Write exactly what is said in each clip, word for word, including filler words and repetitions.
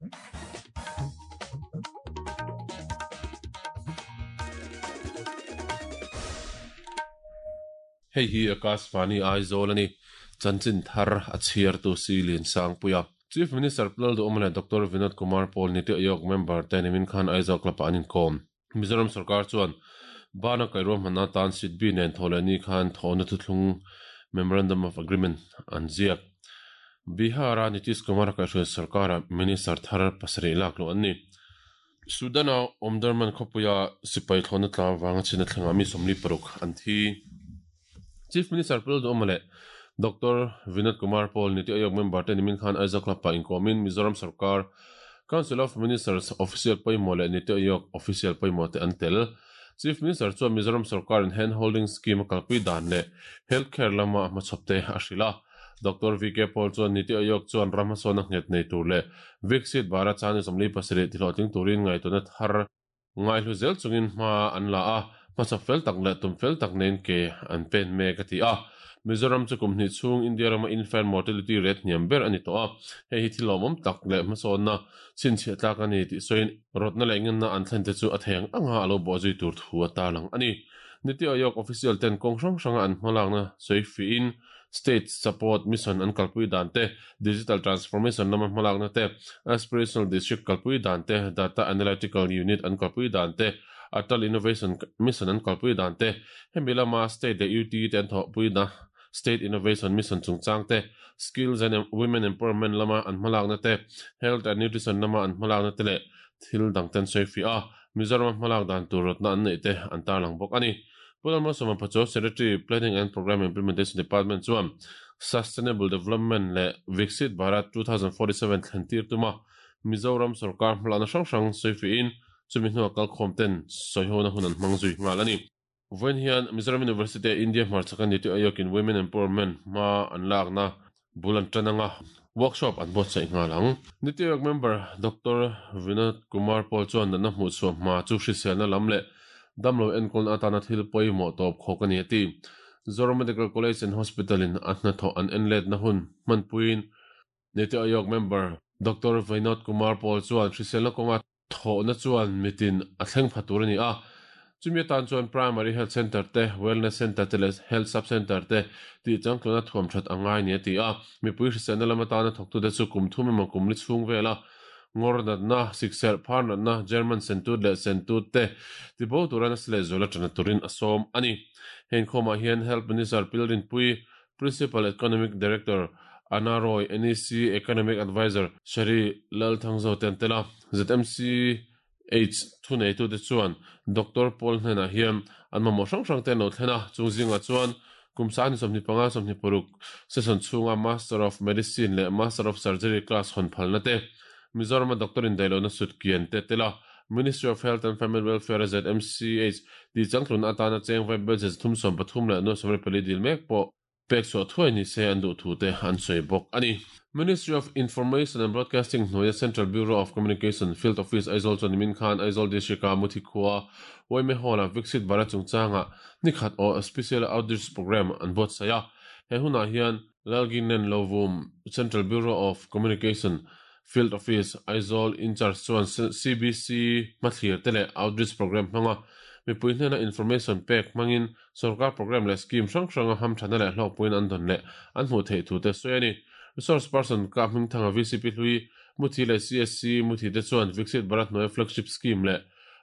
Hei hi Akashvani Aizawl ani chanchin thar a chhiar tu Silin Sangpuia. Chief Minister Lalduhoma leh Doctor Vinod Kumar Paul Niti Aayog member te nimin khan Aizawl Club ah an inkawm. Mizoram sarkar chuan bana kairuam hmanna tan SIDBI nen thawh ni khan thawhna thuthlung Memorandum of Agreement an ziak. Bihara Nitish Kumar kaihhruai sarkara Minister thar pasarih lak lo an ni. Sudana Omdurman khawpuia sipai thlawhna tla wanga chhina thlenga mi sawmli paruk an thi. Chief Minister Lalduhoma leh Doctor Vinod Kumar Paul Niti Aayog member te nimin khan Aizawl Club ah inkawmin Mizoram sarkar Council of Ministers official pawimawh leh Niti Aayog official pawimawh te an tel. Chief Minister chuan Mizoram sarkar in hand holding scheme a kalpui dan leh healthcare lama hmachhawp te a hrilh a. Doctor V K Paul chuan Niti Aayog chuan ram hmasawn a nghet nei tur leh Viksit Bharat chani sawmli pasarih tihlawhtling turin ngaihtuahna thar ngaihlu zel chungin hma an la a. Hmachhawp fel tak leh tum fel tak nen ke an pen mek a ti a. Mizoram chu kum hnih chhung India rama infant mortality rate hniam ber ani tawh a. Hei hi thil lawmawm tak leh hmasawnna chhinchhiah tlak ani tih sawiin rawtna leh ngenna an thlen te chu a thei ang anga a lo bawh zui tur thu a tarlang ani. Niti Aayog official ten kawng hrang hranga an hmalakna sawi fiin state support mission an kalpui dan te, digital transformation lama hmalakna te, aspirational district kalpui dan te, data analytical unit an kalpui dan te, Atal Innovation Mission an kalpui dan te, hemi lama state leh U T te an thawhpui na State Innovation Mission chungchang te, skills and women empowerment lama an hmalakna te, health and nutrition lama an hmalakna te leh thil dang ten sawi fi a. Mizoram hmalak dan tur rawtna an nei te an tarlang bawk ani. Pu Lalmalsawma Pachuau Secretary Planning and Program Implementation Department chuan Sustainable Development leh Viksit Bharat two thousand forty-seven thlen tir tuma Mizoram sarkar hmalakna hrang hrang sawi fiin chumi hnuah kalkhawm ten sawihona hun an hmang zui nghal ani. Vawiin hian Mizoram University India hmarchhaka Niti Aayog in Women Empowerment hma an lakna bul an tan anga workshop an buatsaih nghal ang. Niti Aayog member Doctor Vinod Kumar Paul chuan natna hmuh chhuah hma chu hriselna lam leh damlo enkawl atana thil pawimawh tawp khawk ani a ti. Zoram Medical College and Hospital in a hna thawh an enlet na hun hmanpuiin Niti Aayog member Doctor Vinod Kumar Paul chuan hriselna kawnga thawhna chuan mitin a thleng pha tur ani a. Chumi atan chuan primary health center te, wellness center te leh health sub center te tih changtluna thuam that angai ni a ti a. Mipui hriselna lama tana thawktu te chu kum thum emaw kum li chhung vela ngawr natna, sikserh phar natna, German sentut leh sentut te tibo turan a sile zuala tana turin a sawm ani. Heng khawmah hian Health Minister Pilrin Pui, Principal Economic Director Anna Roy, N E C Economic Advisor Shari Lalthangzo ten tela, Z M C H thunei tu te chuan Doctor Paul hnenah hian an mamawh hrang hrang te an lo thlen a. Chung zingah chuan kum sani sawmhnih panga sawmhnih paruk session chhunga Master of Medicine leh Master of Surgery class hawn phalna te, Mizoram doctor in dailona sut kian te tela, Ministry of Health and Family Welfare Z M C H ti changtlun atana cheng vai budget thum sawm pathum leh nuai sawmriat pali dil mek pawh pek chhuah thuai ni se an duh thu te an sawi bawk ani. Ministry of Information and Broadcasting hnuaia Central Bureau of Communication Field Office Aizawl chuan nimin khan Aizawl District a Muthi khua Waime Hall a Viksit Bharat chungchanga nikhat aw Special Outreach Program an buatsaih a. He hunah hian Lalginen Lovum Central Bureau of Communication Field Office Aizawl in charge chuan C B C hmathlir te leh Outreach Program hmanga mipui hnena information pek hmangin sarkar program leh scheme hrang hranga hamthana leh hlawkpuiin an dawn leh an hmuh theih thu te sawi ani. Resource person ka hming thanga V C P hlui Muthi leh C S C Muthi te chuan Viksit Bharat hnuaia flagship scheme leh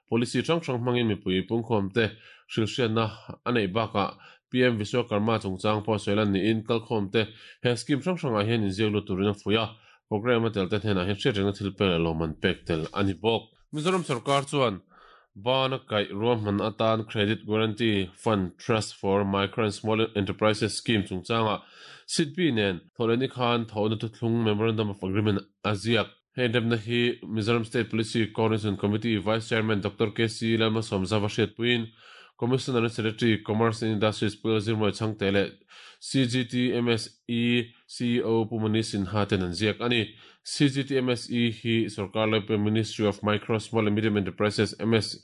policy hrang hrang hmangin mipui pungkhawm te hrilhriatna a neih bakah P M Vishwakarma chungchang pawh sawilan niin kalkhawm te he scheme hrang hrangah hian inziak lut turin a fuih a. Program a tel te hnenah hian hriatrenga thil pek leh lawm an pek tel ani bawk. Mizoram sarkar chuan bana kaih ruahman atan Credit Guarantee Fund Trust for Micro and Small Enterprises Scheme chungchanga SIDBI nen thawhlehni khan thawhna thuthlung Memorandum of Agreement a ziak. Hei remna hi Mizoram State Policy Coordination Committee Vice Chairman Doctor K C Lalmalsawmzauva hriatpuiin Commissioner and Secretary Commerce and Industries Pu Zirmawii Chhangte leh C G T M S E C E O Pu Mani Sinha ten an ziak ani. C G T M S E hi sarkar laipuia Ministry of Micro, Small and Medium Enterprises M S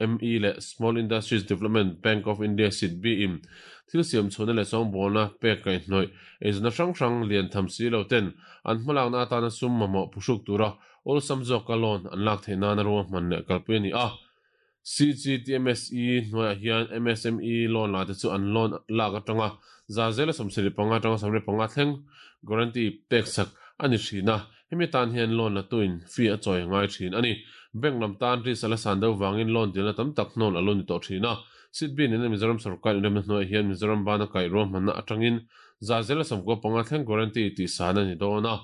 M E leh Small Industries Development Bank of India S I D B in thil siam chhuna leh sawngbawlna pek kaihhnawih eizawna hrang hrang lian tham si lo ten an hmalakna atana sum mamawh phuhruk tura Awlsam zawka loan an lak theih nana ruahman leh kalpui a ni a. C G T M S E hnuaiah hian M S M E loan la te chu an loan lak atanga za zela sawmsarih panga atanga sawmriat panga thleng guarantee pek sak a ni thin a. Hemi tan hian loan la tuin fee a chawi ngai thin a ni. Bank lam tan risk a la san deuh vangin loan dilna tam tak hnawl a lo ni tawh thin a. Sidbi nena Mizoram sarkar inremna hnuaiah hian Mizoram bana kaih ruahmanna atangin za zela sawmkua panga thleng guarantee tih san a ni dawn a.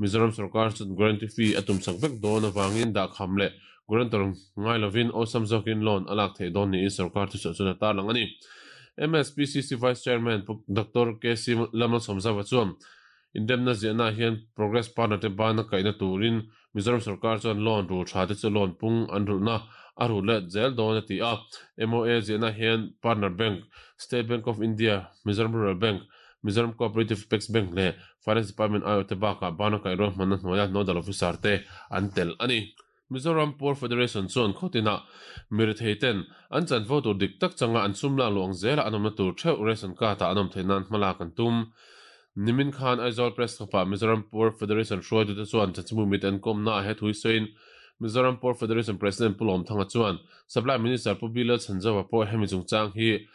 Mizoram sarkar chuan guarantee fee a tum sak vek dawn avangin dahkham leh guarantor ngai lovin awlsam zawkin loan a lak theih dawn niin sarkar thuchhuah chuan a tarlang a ni. M S P C C Vice Chairman Doctor K C Lalmalsawmzava chuan inremna ziahna hian progress partner te bana kaihna turin Mizoram sarkar chuan loan rul tha te chu loan pung an rulhna a rul let zel dawn a ti a. M O A ziahna hian Partner Bank, State Bank of India, Mizoram Rural Bank, Mizoram Cooperative Apex Bank leh Finance Department aiawh te bakah bana kaih ruahmanna hnuaia nodal officer te an tel a ni. Mizoram Poor Federation chuan khawtinah mirethei ten an chanvo tur dik tak changa an sum lak luang zela an awmna tur theuh ration card ah an awm theih nan hma lak an tum. Nimin khan Aizawl Press Club ah Mizoram Poor Federation hruaitute chuan chanchinbu mit an kawmna ah he thui sawiin Mizoram Poor Federation President Pu Lawmthanga chuan Supply Minister Pu Bilal Chhanzova pawh hemi chungchang hi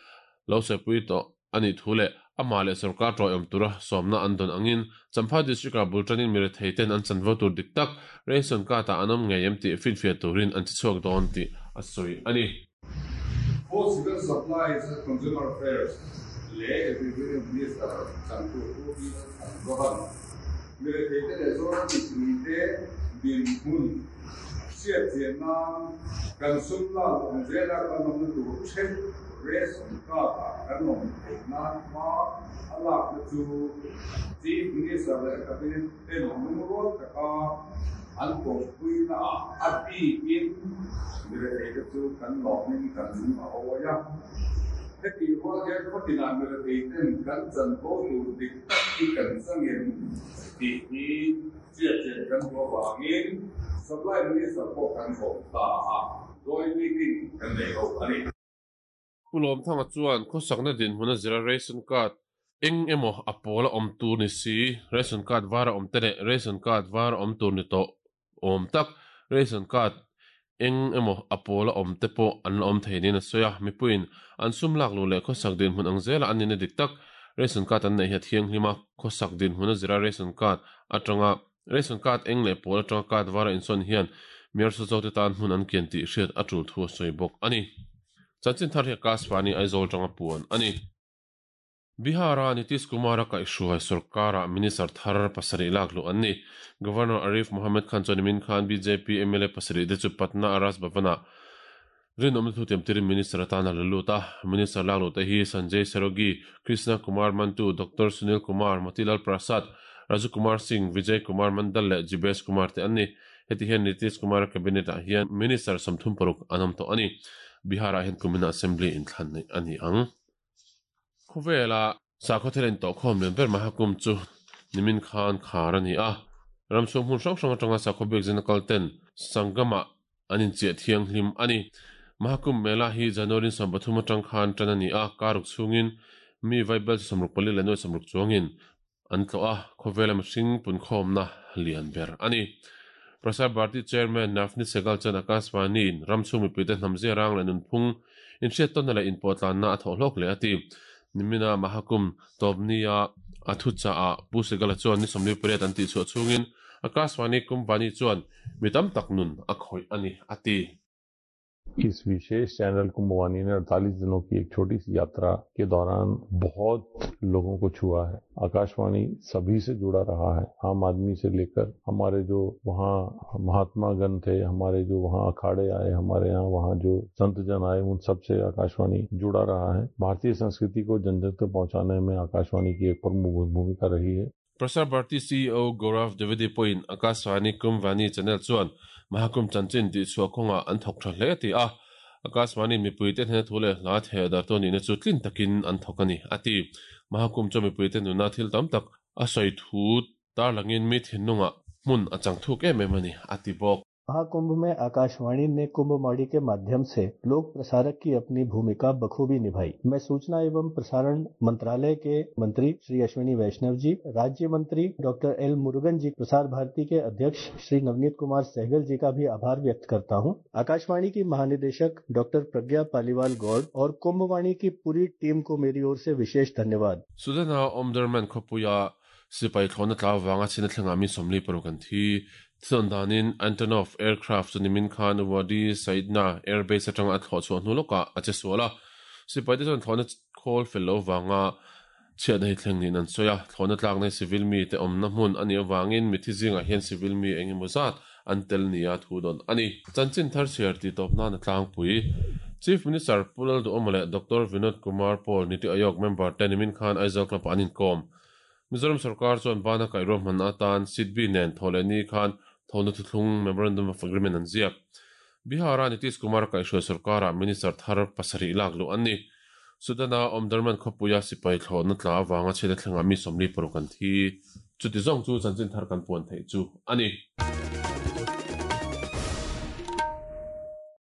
lo saipui tawh a nih thu leh amah leh sarkar tawih awm tura sawmna an dawn angin Champhai District ah bultanin mirethei ten an chanvo tur dik tak ration card ah an awm ngei em tih finfiah turin an chichhuak dawn tih a sawi a ni. Both civil supplies and consumer affairs leh Revenue Minister chantu Pu Bilal Chhanzova mirethei te leh Zoram mipui te dinhmun hriat chian nan kan sum lak awm zela kan awmna tur theuh ration card ah kan awm theih nan hma a lakna chu Chief Minister leh Cabinet ten lungrual taka an pawmpuina ah a bikin mirethei te chu kan lawmin kan lung a awi a. Heti rual hian khawtinah mirethei ten kan chanvo tur dik tak hi kan changem tih hi hriat chian kan duh avangin Supply Minister pawh kan kawm ta a, joint meeting kan nei ho a ni. Pu Lawmthanga chuan khawsakna dinhmun a zira ration card eng emaw a pawl a awm tur ni si, ration card var a awm te leh ration card var a awm tur ni tawh awm tak, ration card eng emaw a pawl a awm te pawh an la awm thei niin a sawi a. Mipuiin an sum lak luh leh khawsak dinhmun ang zela an nihna dik tak ration card an neih hi a thianghlim a, khawsak dinhmun a zira ration card atanga ration card eng leh pawl atanga card var a insawn hian miarsa zo te tan hmun an kian tih hriat a tul thu a sawi bawk a ni. Chanchin thar hi Akashvani Aizawl tanga puan a ni. Bihara Nitish Kumar a kaihhruai sarkara Minister thar pasarih lak luh an ni. Governor Arif Mohammed Khan chuan nimin khan B J P M L A pasarih te chu Patna a Raj Bhavan ah rinawmna thu tiam tirin Minister atan a la lut a. Minister lak luh te hi Sanjay Sarogi, Krishna Kumar Mantu, Doctor Sunil Kumar, Motilal Prasad, Raju Kumar Singh, Vijay Kumar Mandal leh Jibesh Kumar te an ni. Heti hian Nitish Kumar cabinet ah hian Minister sawmthum paruk an awm tawh a ni. Bihar ah hian kumina assembly inthlan nei a ni ang. Khawvela sakhaw thil in tawh khawm lian ber Mahakumbh chu nimin khan khar a ni a. Ramchhung hmun hrang hrang atanga sakhaw biak zin a kal ten Sangam ah an inchiah thianghlim a ni. Mahakumbh Mela hi January sawm pathum atang khan tan a ni a, karuk chhungin mi vaibel sawmruk pali leh nuai sawmruk chuangin an tlawh a, khawvela mihring punkhawmna lian ber a ni. Prasar Bharati Chairman Navneet Sehgal chuan Akashvani in ramchhung mipui te hnamzia rang leh nunphung inhriat tawnna leh inpawhtlanna a thawh hlawk leh a ti. Nimina Mahakumbh tawpnia a thu cha ah Pu Sehgal chuan ni sawmli pariat an tih chhuah chhungin Akashvani Kumbhvani chuan mi tam tak nun a khawih a ni a ti. इस विशेष channel Kumbhvani ने अड़तालीस दिनों की एक छोटी सी यात्रा के दौरान बहुत लोगों को छुआ है। आकाशवाणी सभी से जुड़ा रहा है, आम आदमी से लेकर हमारे जो वहाँ महात्मा गण थे, हमारे जो वहाँ अखाड़े आए, हमारे यहाँ वहाँ जो संत जन आए, उन सब से आकाशवाणी जुड़ा रहा है। भारतीय संस्कृति को जन जन तक पहुँचाने में आकाशवाणी की एक प्रमुख भूमिका रही है। Prasar Bharati C E O Gaurav Dwivedi pawhin Akashvani Kumbhvani channel chuan Mahakumbh chanchin tih chhuah kawngah an thawk tha hle ti a. Akashvani mipui te hnena thu leh hla theh dar tawn nihna chu tlin takin an thawk a ni a ti. Mahakumbh chu mipui te nuna thil tam tak a sawi thu tar langin mi thinlungah hmun a chang thuk em em a ni a ti bawk. Mahakumbh में आकाशवाणी ने कुंभवाणी के माध्यम से लोक प्रसारक की अपनी भूमिका बखूबी निभाई। मैं सूचना एवं प्रसारण मंत्रालय के मंत्री श्री अश्विनी वैष्णव जी, राज्य मंत्री डॉक्टर एल मुरुगन जी, प्रसार भारती के अध्यक्ष श्री नवनीत कुमार सहगल जी का भी आभार व्यक्त करता हूं। आकाशवाणी की महानिदेशक डॉक्टर प्रज्ञा पालीवाल गौड़ और कुंभवाणी की पूरी टीम को मेरी ओर से विशेष धन्यवाद। Sudana Omdurman khawpuia sipai thlawhna tla avanga chhina thlengah mi sawmli paruk an thi. Thilawm danin Antonov aircraft chu nimin khan Wadi Saidna airbase atanga a thlawh chhuah hnu lawkah a che sual a. Sipai te chuan thlawhna khawl fel lo avanga chhiatna hi thleng niin an sawi a. Thlawhna tlakna hi civil mi te awmna hmun a nih avangin mithi zingah hian civil mi eng emaw zat an tel nia thu dawn a ni. Chanchin thar chhiar tih tawp nan a tlangpui. Chief Minister Pu Lalduhawma leh Doctor Vinod Kumar Paul Niti Aayog member te nimin khan Aizawl Club-ah an inkawm. Mizoram sarkar chuan bana kaihruah hman atan SIDBI nen thaw leh ni khan thawhna thuthlung Memorandum of Agreement an ziak. Bihar-a Nitish Kumar kaihhruai sarkarah Minister thar pasarih lak luh an ni. Sudana Omdurman khawpuia sipai thlawhna tla avanga chhiatna thlengah mi sawmli paruk an thi. Chuti zawng chu chanchin thar kan puan theih chu a ni.